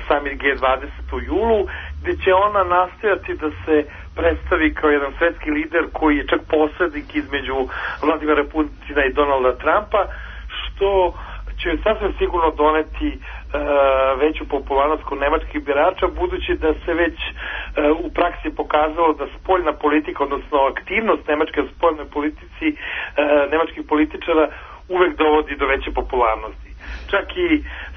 samit G dvadeset u julu, gde će ona nastojati da se predstavi kao jedan svetski lider koji je čak posrednik između Vladimira Putina i Donalda Trumpa, što će sasvim sigurno doneti e, veću popularnost kod nemačkih birača, budući da se već e, u praksi pokazalo da spoljna politika, odnosno aktivnost nemačke u spoljnoj politici e, nemačkih političara uvek dovodi do veće popularnosti. Čak i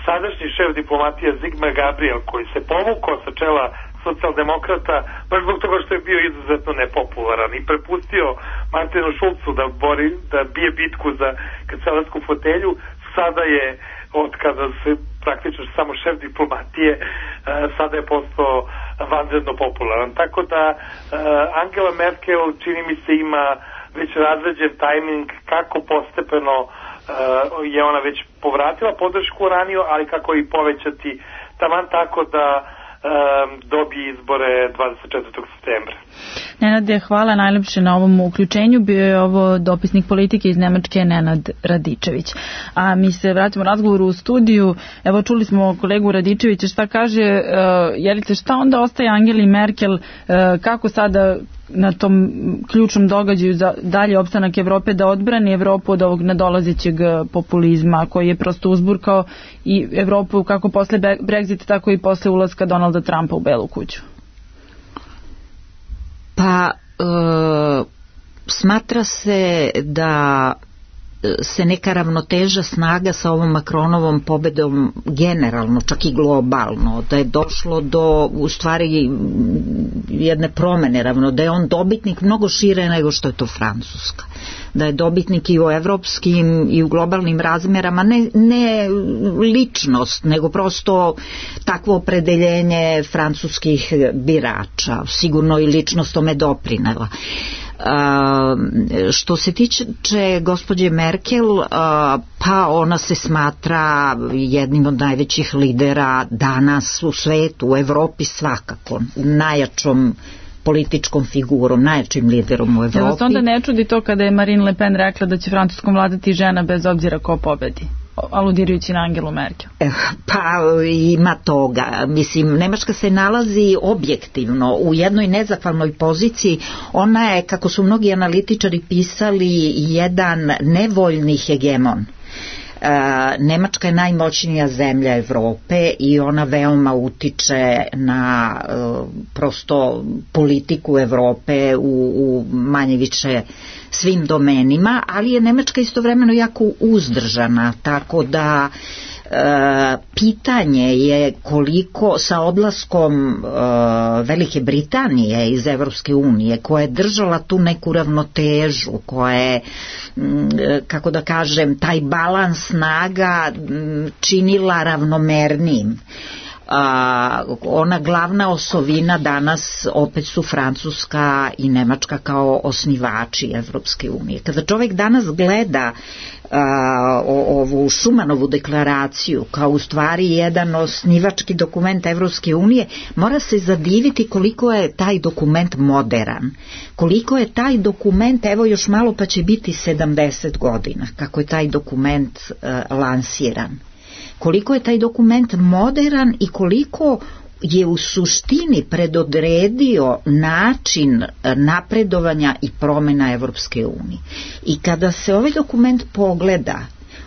sadašnji šef diplomatije Sigmar Gabriel, koji se povukao sa čela socijaldemokrata baš zbog toga što je bio izuzetno nepopularan i prepustio Martinu Šulcu da bori, da bije bitku za kancelarsku fotelju, sada je, od kada se praktično samo šef diplomatije, sada je postao vanredno popularan. Tako da Angela Merkel, čini mi se, ima već razređen tajming kako postepeno je ona već povratila podršku raniju, ali kako i povećati taman tako da dobije izbore dvadeset četvrtog septembra. Nenade, hvala najlepše na ovom uključenju. Bio je ovo dopisnik politike iz Nemačke Nenad Radičević. A mi se vratimo razgovoru u studiju. Evo, čuli smo kolegu Radičevića šta kaže. Uh, Jelice, šta onda ostaje Angeli Merkel? Uh, kako sada na tom ključnom događaju za dalje opstanak Evrope da odbrani Evropu od ovog nadolazećeg populizma koji je prosto uzburkao i Evropu kako posle Brexita, tako i posle ulaska Donalda Trumpa u Belu kuću? Pa e, smatra se da se neka ravnoteža snaga sa ovom Macronovom pobedom generalno, čak i globalno, da je došlo do u stvari jedne promene ravno, da je on dobitnik mnogo šire nego što je to Francuska, da je dobitnik i u evropskim i u globalnim razmerama, ne, ne ličnost, nego prosto takvo opredeljenje francuskih birača, sigurno i ličnost tome doprinela. Uh, što se tiče gospođe Merkel, uh, pa ona se smatra jednim od najvećih lidera danas u svetu, u Evropi svakako, najjačom političkom figurom, najjačim liderom u Evropi. Ja vas onda ne čudi to kada je Marine Le Pen rekla da će Francuskom vladati žena bez obzira ko pobedi, aludirajući na Angelu Merkel? Pa ima toga. Mislim, Nemačka se nalazi objektivno u jednoj nezahvalnoj poziciji. Ona je, kako su mnogi analitičari pisali, jedan nevoljni hegemon. Nemačka je najmoćnija zemlja Evrope i ona veoma utiče na prosto politiku Evrope u, u manje više svim domenima, ali je Nemačka istovremeno jako uzdržana, tako da e, pitanje je koliko sa odlaskom e, Velike Britanije iz Evropske unije, koja je držala tu neku ravnotežu, koja je, m, kako da kažem, taj balans snaga m, činila ravnomernijim. A, ona glavna osovina danas opet su Francuska i Nemačka kao osnivači Evropske unije. Kada čovjek danas gleda a, o, ovu Šumanovu deklaraciju kao u stvari jedan osnivački dokument Evropske unije, mora se zadiviti koliko je taj dokument moderan, koliko je taj dokument, evo još malo pa će biti sedamdeset godina kako je taj dokument a, lansiran. Koliko je taj dokument moderan i koliko je u suštini predodredio način napredovanja i promjena Evropske unije. I kada se ovaj dokument pogleda,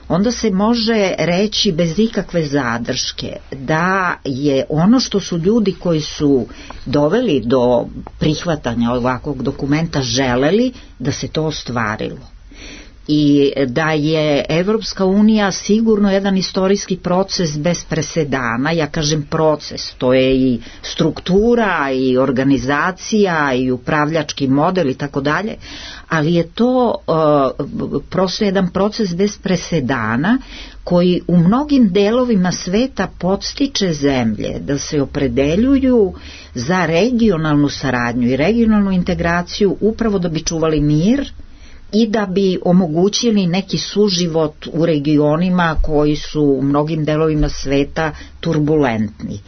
onda se može reći bez ikakve zadrške da je ono što su ljudi koji su doveli do prihvatanja ovakvog dokumenta želeli, da se to ostvarilo. I da je Evropska unija sigurno jedan istorijski proces bez presedana. Ja kažem proces, to je i struktura i organizacija i upravljački model i tako dalje, ali je to uh, prosto jedan proces bez presedana koji u mnogim delovima sveta podstiče zemlje da se opredeljuju za regionalnu saradnju i regionalnu integraciju upravo da bi čuvali mir i da bi omogućili neki suživot u regionima koji su u mnogim delovima sveta turbulentni.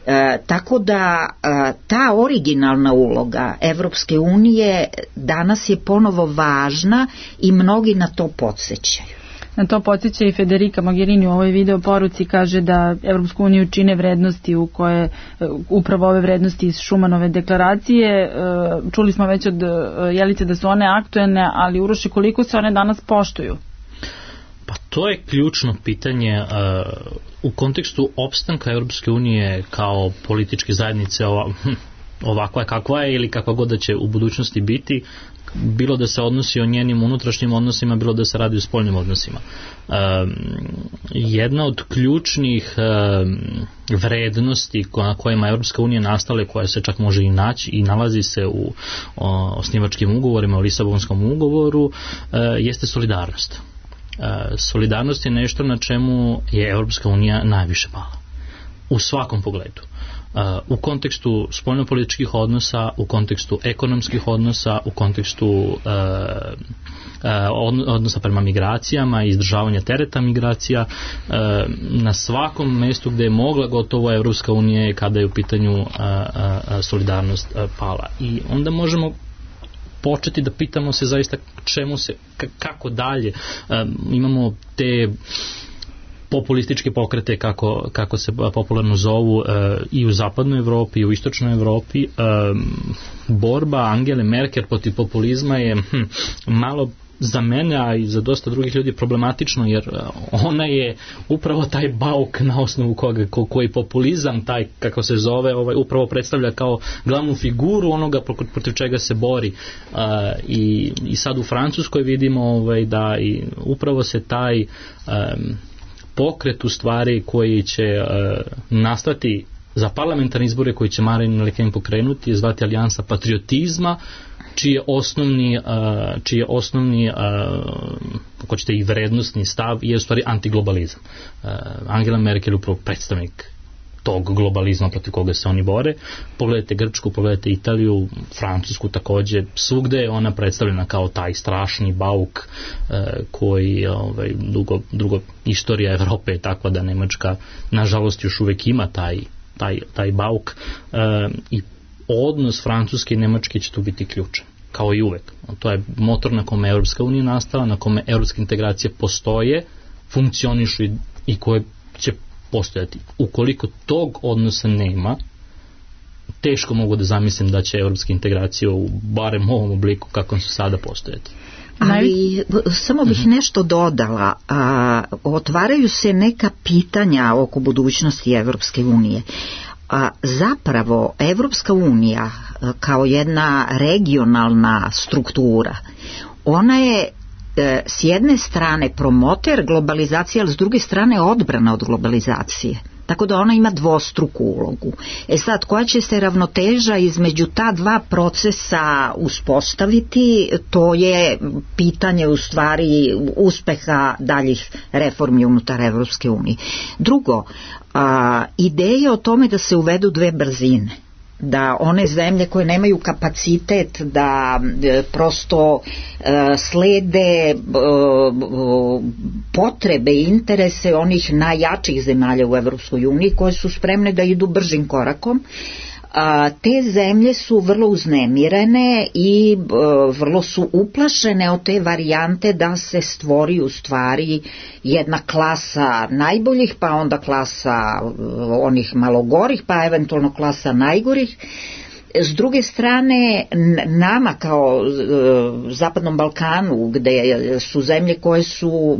E, tako da e, ta originalna uloga Evropske unije danas je ponovo važna i mnogi na to podsjećaju. Na to podsjeća i Federica Mogherini u ovoj video poruci, kaže da Evropsku uniju čine vrednosti u koje, upravo ove vrednosti iz Šumanove deklaracije. Čuli smo već od Jelice da su one aktuelne, ali Uroše, koliko se one danas poštuju? Pa to je ključno pitanje uh, u kontekstu opstanka Europske unije kao političke zajednice ova, ovakva je kakva je ili kakva god da će u budućnosti biti, bilo da se odnosi o njenim unutrašnjim odnosima, bilo da se radi o spoljnim odnosima. Um, jedna od ključnih um, vrednosti na kojima Europska unija nastale, koja se čak može i naći i nalazi se u o, osnivačkim ugovorima, u Lisabonskom ugovoru, uh, jeste solidarnost. Uh, solidarnost je nešto na čemu je Europska unija najviše pala. U svakom pogledu. Uh, u kontekstu spoljnopolitičkih odnosa, u kontekstu ekonomskih odnosa, u kontekstu uh, uh, odnosa prema migracijama i izdržavanja tereta migracija, uh, na svakom mestu gde je mogla gotovo Evropska unija je kada je u pitanju uh, uh, solidarnost uh, pala. I onda možemo početi da pitamo se zaista čemu se, kako dalje. Um, imamo te populističke pokrete, kako, kako se popularno zovu, uh, i u zapadnoj Evropi i u istočnoj Evropi. Um, borba Angele Merkel protiv populizma je hm, malo za mene, a i za dosta drugih ljudi problematično, jer ona je upravo taj bauk na osnovu koga, ko, koji populizam, taj kako se zove, ovaj, upravo predstavlja kao glavnu figuru onoga protiv čega se bori. Uh, i, i sad u Francuskoj vidimo ovaj, da i upravo se taj um, pokret u stvari koji će uh, nastati za parlamentarne izbore koji će Marine Le Pen pokrenuti je zvati Alijansa patriotizma, čiji je osnovni, uh, čiji je osnovni uh, kako ćete i vrednostni stav je u stvari antiglobalizam. Uh, Angela Merkel je upravo predstavnik tog globalizma protiv koga se oni bore. Pogledajte Grčku, pogledajte Italiju, Francusku takođe, svugde je ona predstavljena kao taj strašni bauk uh, koji ovaj, dugo, drugo istorija Evrope je takva da Nemačka nažalost još uvek ima taj, taj, taj bauk uh, i odnos Francuske i Nemačke će tu biti ključan, kao i uvek. To je motor na kome Europska unija nastala, na kome europske integracije postoje, funkcionišu i, i koje će postojati. Ukoliko tog odnosa nema, teško mogu da zamislim da će europske integracije u barem ovom obliku kakvom su sada postojati. Ali samo bih nešto dodala. A, otvaraju se neka pitanja oko budućnosti Evropske unije. A zapravo Evropska unija kao jedna regionalna struktura, ona je e, s jedne strane promoter globalizacije, ali s druge strane odbrana od globalizacije. Tako da ona ima dvostruku ulogu. E sad, koja će se ravnoteža između ta dva procesa uspostaviti, to je pitanje u stvari uspeha daljih reformi unutar Evropske unije. Drugo, a, ideja o tome da se uvedu dve brzine, da one zemlje koje nemaju kapacitet da e, prosto e, slede e, potrebe i interese onih najjačih zemalja u Evropskoj uniji koje su spremne da idu bržim korakom, a, te zemlje su vrlo uznemirene i e, vrlo su uplašene od te varijante da se stvori u stvari jedna klasa najboljih, pa onda klasa onih malogorih, pa eventualno klasa najgorih. S druge strane, nama kao e, Zapadnom Balkanu, gde su zemlje koje su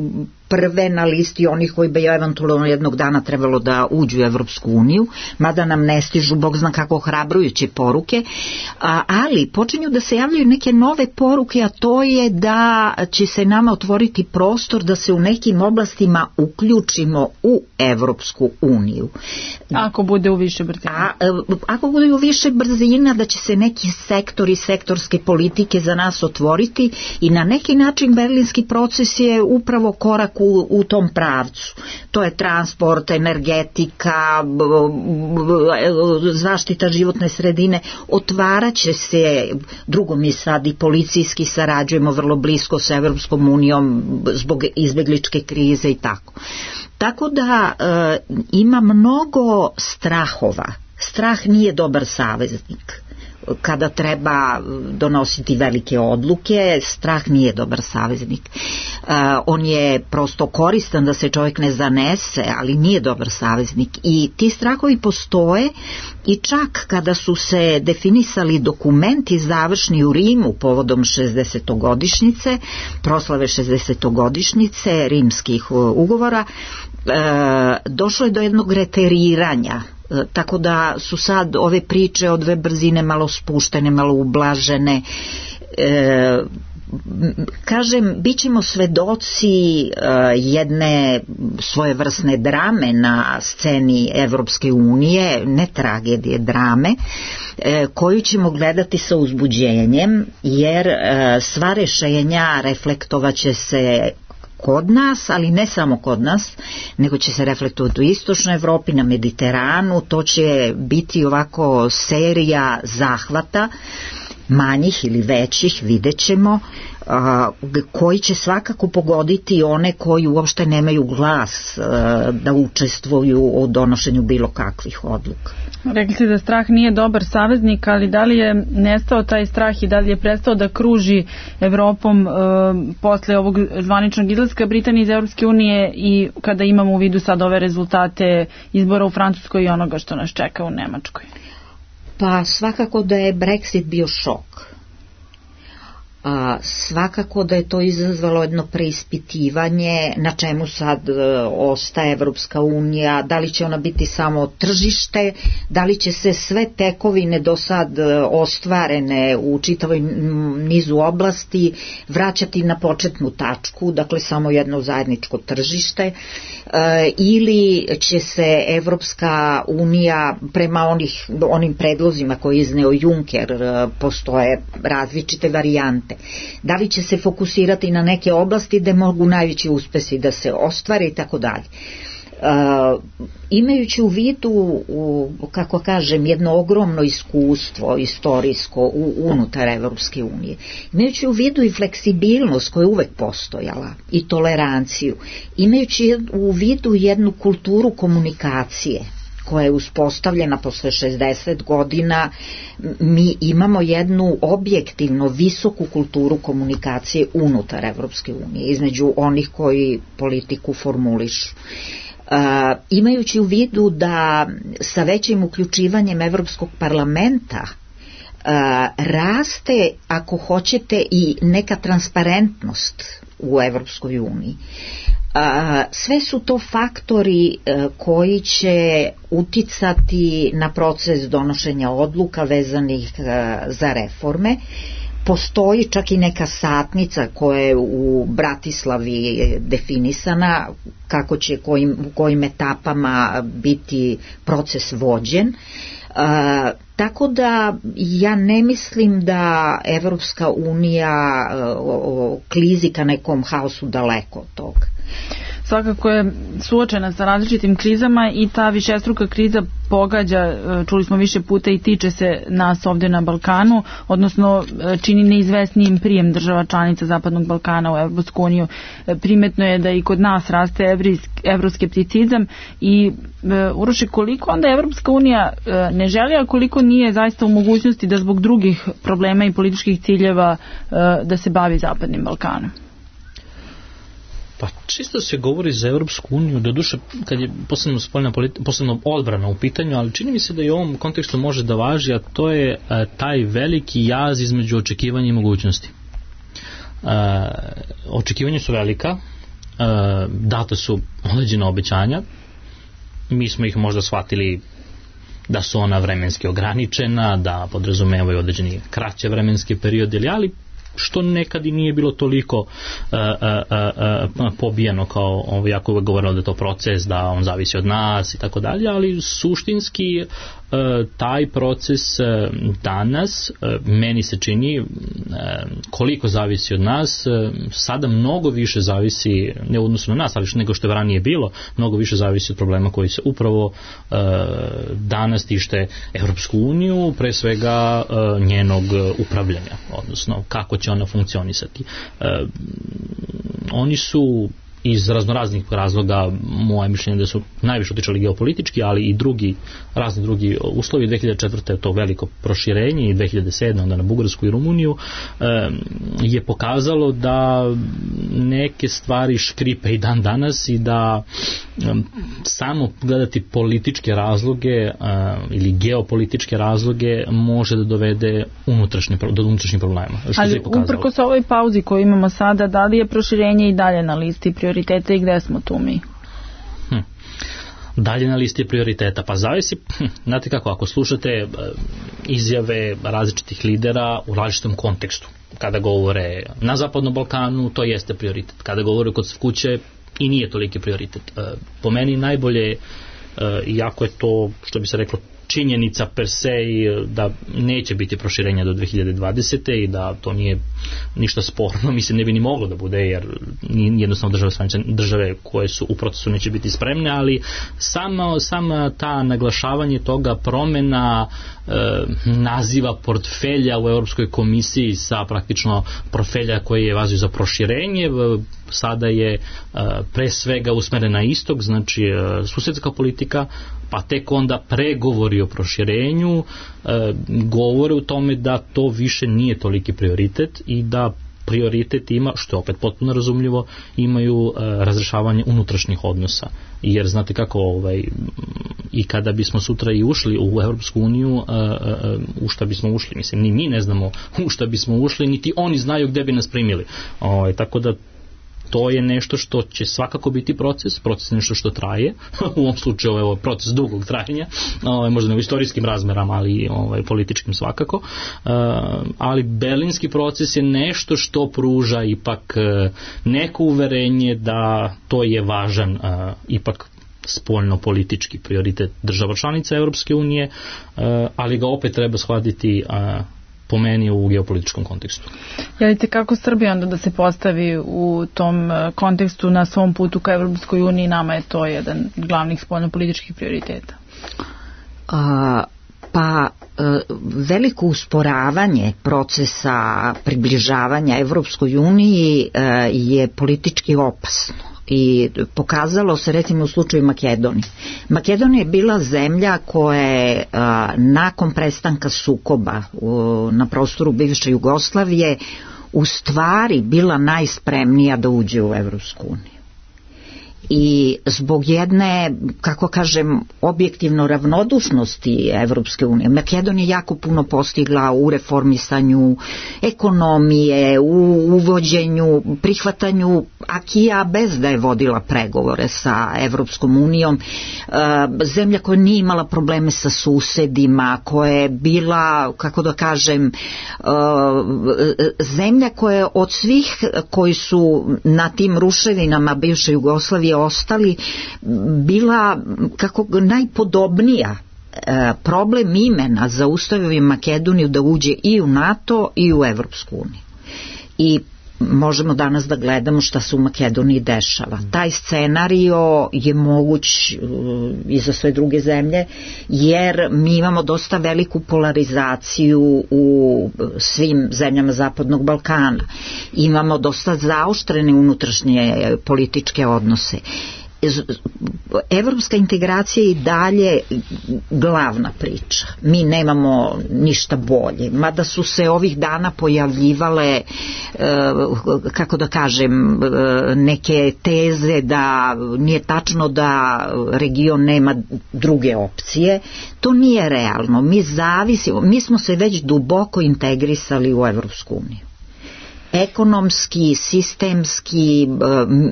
prve na listi onih koji bi eventualno jednog dana trebalo da uđu u Evropsku uniju, mada nam ne stižu bog zna kako ohrabrujuće poruke, a, ali počinju da se javljaju neke nove poruke, a to je da će se nama otvoriti prostor da se u nekim oblastima uključimo u Evropsku uniju. Ako bude u više brzina. A, ako bude u više brzina, da će se neki sektori, sektorske politike za nas otvoriti i na neki način berlinski proces je upravo korak U, u tom pravcu. To je transport, energetika, zaštita životne sredine. Otvaraće se, drugo mi sad i policijski sarađujemo vrlo blisko sa Evropskom unijom zbog izbegličke krize i tako. Tako da e, ima mnogo strahova. Strah nije dobar saveznik. Kada treba donositi velike odluke, strah nije dobar saveznik. Uh, on je prosto koristan da se čovjek ne zanese, ali nije dobar saveznik. I ti strahovi postoje i čak kada su se definisali dokumenti završni u Rimu povodom šezdesetogodišnjice, proslave šezdesetogodišnjice rimskih ugovora, uh, došlo je do jednog reteriranja. Tako da su sad ove priče od dve brzine malo spuštene, malo ublažene. E, kažem, bit ćemo svedoci e, jedne svojevrsne drame na sceni Evropske unije, ne tragedije, drame, e, koju ćemo gledati sa uzbuđenjem, jer e, sva rešenja reflektovaće se kod nas, ali ne samo kod nas, nego će se reflektovati u istočnoj Evropi, na Mediteranu. To će biti ovako serija zahvata, manjih ili većih, vidjet ćemo, koji će svakako pogoditi one koji uopšte nemaju glas da učestvuju u donošenju bilo kakvih odluka. Rekli ste da strah nije dobar saveznik, ali da li je nestao taj strah i da li je prestao da kruži Evropom e, posle ovog zvaničnog izlaska Britanije iz Evropske unije i kada imamo u vidu sad ove rezultate izbora u Francuskoj i onoga što nas čeka u Nemačkoj? Pa svakako da je Brexit bio šok. A, svakako da je to izazvalo jedno preispitivanje na čemu sad e, ostaje Evropska unija, da li će ona biti samo tržište, da li će se sve tekovine do sad e, ostvarene u čitavoj nizu oblasti vraćati na početnu tačku, dakle samo jedno zajedničko tržište, e, ili će se Evropska unija prema onih, onim predlozima koje je izneo Juncker, e, postoje različite varijante. Da li će se fokusirati na neke oblasti gde mogu najveći uspesi da se ostvare i tako dalje. Uh, imajući u vidu, u, kako kažem, jedno ogromno iskustvo istorijsko u, unutar Evropske unije, imajući u vidu i fleksibilnost koja je uvek postojala i toleranciju, imajući u vidu jednu kulturu komunikacije koja je uspostavljena posle šezdeset godina, mi imamo jednu objektivno visoku kulturu komunikacije unutar Evropske unije, između onih koji politiku formulišu. Uh, imajući u vidu da sa većim uključivanjem Evropskog parlamenta uh, raste, ako hoćete, i neka transparentnost u Evropskoj uniji. A, sve su to faktori a, koji će uticati na proces donošenja odluka vezanih a, za reforme. Postoji čak i neka satnica koja je u Bratislavi definisana, kako će, kojim, u kojim etapama biti proces vođen. Uh, tako da ja ne mislim da Evropska unija uh, klizi ka nekom haosu daleko od toga. Svakako je suočena sa različitim krizama i ta višestruka kriza pogađa, čuli smo više puta, i tiče se nas ovdje na Balkanu, odnosno čini neizvesnijim prijem država članica Zapadnog Balkana u Evropsku uniju. Primetno je da i kod nas raste evroskepticizam i Uroše, koliko onda Evropska unija ne želi, a koliko nije zaista u mogućnosti da zbog drugih problema i političkih ciljeva da se bavi Zapadnim Balkanom? Pa čisto se govori za Evropsku uniju, doduše kad je posebno spoljna politika, posebno odbrana u pitanju, ali čini mi se da i u ovom kontekstu može da važi, a to je a, taj veliki jaz između očekivanja i mogućnosti. A, očekivanja su velika, a, data su određena obećanja, mi smo ih možda shvatili da su ona vremenski ograničena, da podrazumevaju određeni kraće vremenske periode, ali što nekad i nije bilo toliko uh, uh, uh, pobijeno kao ovo, jako uvek govorilo da je to proces, da on zavisi od nas i tako dalje, ali suštinski uh, taj proces uh, danas uh, meni se čini uh, koliko zavisi od nas, uh, sada mnogo više zavisi, ne u odnosu na nas, ali što nego što je ranije bilo, mnogo više zavisi od problema koji se upravo uh, danas tište Evropsku uniju, pre svega uh, njenog upravljanja, odnosno kako će ona funkcionisati. Uh, oni su iz raznoraznih razloga, moje mišljenje da su najviše utičali geopolitički, ali i drugi, razni drugi uslovi. dve hiljade četvrte je to veliko proširenje i dve hiljade sedme onda na Bugarsku i Rumuniju je pokazalo da neke stvari škripe i dan danas i da samo gledati političke razloge ili geopolitičke razloge može da dovede unutrašnje, do unutrašnjih problema. Ali uprkos ovoj pauzi koju imamo sada, da li je proširenje i dalje na listi prioriteta i gde smo tu mi? Hm. Dalje na listi prioriteta, pa zavisi, hm, znate kako, ako slušate izjave različitih lidera u različitom kontekstu, kada govore na Zapadnom Balkanu, to jeste prioritet, kada govore kod kuće i nije toliki prioritet. Po meni najbolje, iako je to, što bi se reklo, činjenica per se da neće biti proširenja do dve hiljade dvadesete i da to nije ništa sporno, mislim ne bi ni moglo da bude, jer jednostavno države, države koje su u procesu neće biti spremne, ali samo, samo ta naglašavanje toga, promena e, naziva portfelja u Europskoj komisiji sa praktično portfelja koji je vazio za proširenje, sada je e, pre svega usmeren na istok, znači e, susedska politika, pa tek onda pregovori o proširenju e, govore u tome da to više nije toliki prioritet i da prioritet ima, što je opet potpuno razumljivo, imaju e, razrešavanje unutrašnjih odnosa. Jer znate kako, ovaj, i kada bismo sutra i ušli u Evropsku uniju, e, e, u šta bismo ušli, mislim, ni mi ne znamo u šta bismo ušli, niti oni znaju gde bi nas primili. O, tako da to je nešto što će svakako biti proces, proces je nešto što traje, u ovom slučaju ovo je proces dugog trajanja, ovaj, možda ne u istorijskim razmerama, ali ovaj, političkim svakako, uh, ali berlinski proces je nešto što pruža ipak uh, neko uverenje da to je važan uh, ipak spoljno politički prioritet država članica Europske unije, uh, ali ga opet treba shvatiti uh, po meni u geopolitičkom kontekstu. Jelite kako Srbija onda da se postavi u tom kontekstu na svom putu ka Evropskoj uniji, nama je to jedan glavnih spoljnopolitičkih prioriteta? A, pa veliko usporavanje procesa približavanja Evropskoj uniji je politički opasno. I pokazalo se recimo u slučaju Makedonije. Makedonija je bila zemlja koja je a, nakon prestanka sukoba u, na prostoru bivše Jugoslavije u stvari bila najspremnija da uđe u Evropsku uniju. I zbog jedne, kako kažem, objektivno ravnodušnosti Evropske unije, Makedonija jako puno postigla u reformisanju ekonomije, u uvođenju, prihvatanju akija bez da je vodila pregovore sa Evropskom unijom, zemlja koja nije imala probleme sa susedima, koja je bila, kako da kažem, zemlja koja je od svih koji su na tim ruševinama bivše Jugoslavije ostali bila kako najpodobnija. E, problem imena zaustavio Makedoniju da uđe i u NATO i u Evropsku uniju. I možemo danas da gledamo šta se u Makedoniji dešava. Taj scenario je moguć uh, i za sve druge zemlje, jer mi imamo dosta veliku polarizaciju u svim zemljama Zapadnog Balkana. Imamo dosta zaoštrene unutrašnje političke odnose. Evropska integracija je i dalje glavna priča. Mi nemamo ništa bolje. Mada su se ovih dana pojavljivale, kako da kažem, neke teze da nije tačno da region nema druge opcije. To nije realno. Mi zavisimo, mi smo se već duboko integrisali u Evropsku uniju. Ekonomski, sistemski,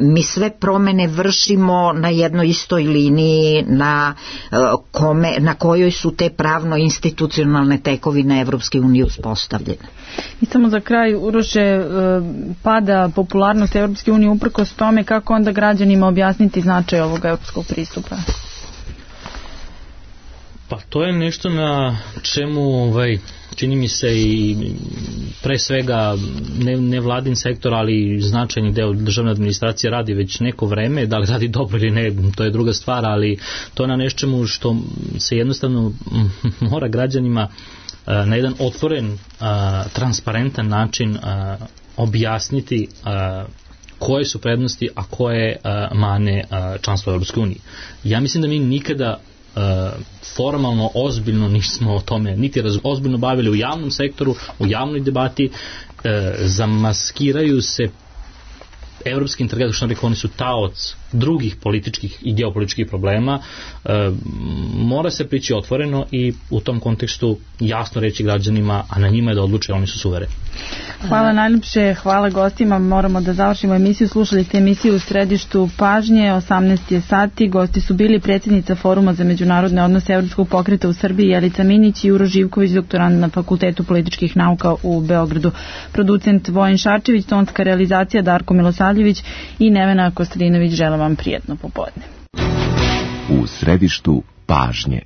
mi sve promene vršimo na jednoj istoj liniji na, kome, na kojoj su te pravno-institucionalne tekovine Evropske unije uspostavljene. I samo za kraj, Uroše, pada popularnost Evropske unije uprkos tome, kako onda građanima objasniti značaj ovog evropskog pristupa? Pa to je nešto na čemu ovaj, čini mi se i pre svega ne, ne vladin sektor, ali značajni deo državne administracije radi već neko vreme, da li radi dobro ili ne, to je druga stvar, ali to je na nečemu što se jednostavno mora građanima na jedan otvoren, transparentan način objasniti koje su prednosti, a koje uh, mane uh, članstva u Europskoj uniji. Ja mislim da mi nikada uh, formalno, ozbiljno nismo o tome niti raz, ozbiljno bavili u javnom sektoru, u javnoj debati, uh, zamaskiraju se evropski integratori, što rekao, oni su taoc drugih političkih i geopolitičkih problema. E, mora se prići otvoreno i u tom kontekstu jasno reći građanima, a na njima je da odluče, oni su suvereni. Hvala najljepše, hvala gostima. Moramo da završimo emisiju. Slušali ste emisiju U središtu pažnje, osamnaest je sati. Gosti su bili predsjednica Foruma za međunarodne odnose Evropskog pokreta u Srbiji Jelica Minić i Juro Živković, doktorant na Fakultetu političkih nauka u Beogradu. Producent Vojin Šarčević, tonska realizacija Darko Milosavljević i Nevena Kostadinović. Želim vam prijetno popodne. U središtu pažnje.